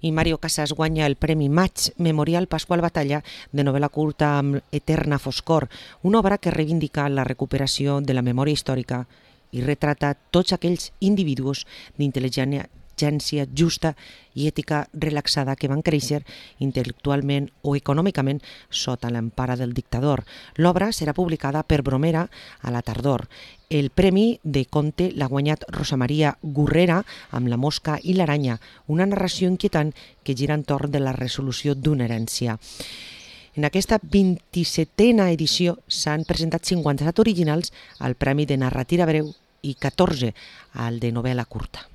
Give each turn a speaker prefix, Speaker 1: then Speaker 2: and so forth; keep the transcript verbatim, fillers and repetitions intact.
Speaker 1: I Mario Casas guanya el Premi Maig Memorial Pasqual Batalla de novel·la curta amb Eterna foscor, una obra que reivindica la recuperació de la memòria històrica i retrata tots aquells individus d'intel·ligència justa i ètica relaxada que van créixer intel·lectualment o econòmicament sota l'empara del dictador. L'obra serà publicada per Bromera a la tardor. El premi de conte l'ha guanyat Rosa Maria Gurrera amb La mosca i l'aranya, una narració inquietant que gira entorn de la resolució d'una herència. En aquesta vint-i-setena edició s'han presentat cinquanta-set originals al Premi de Narrativa Breu i catorze al de novel·la curta.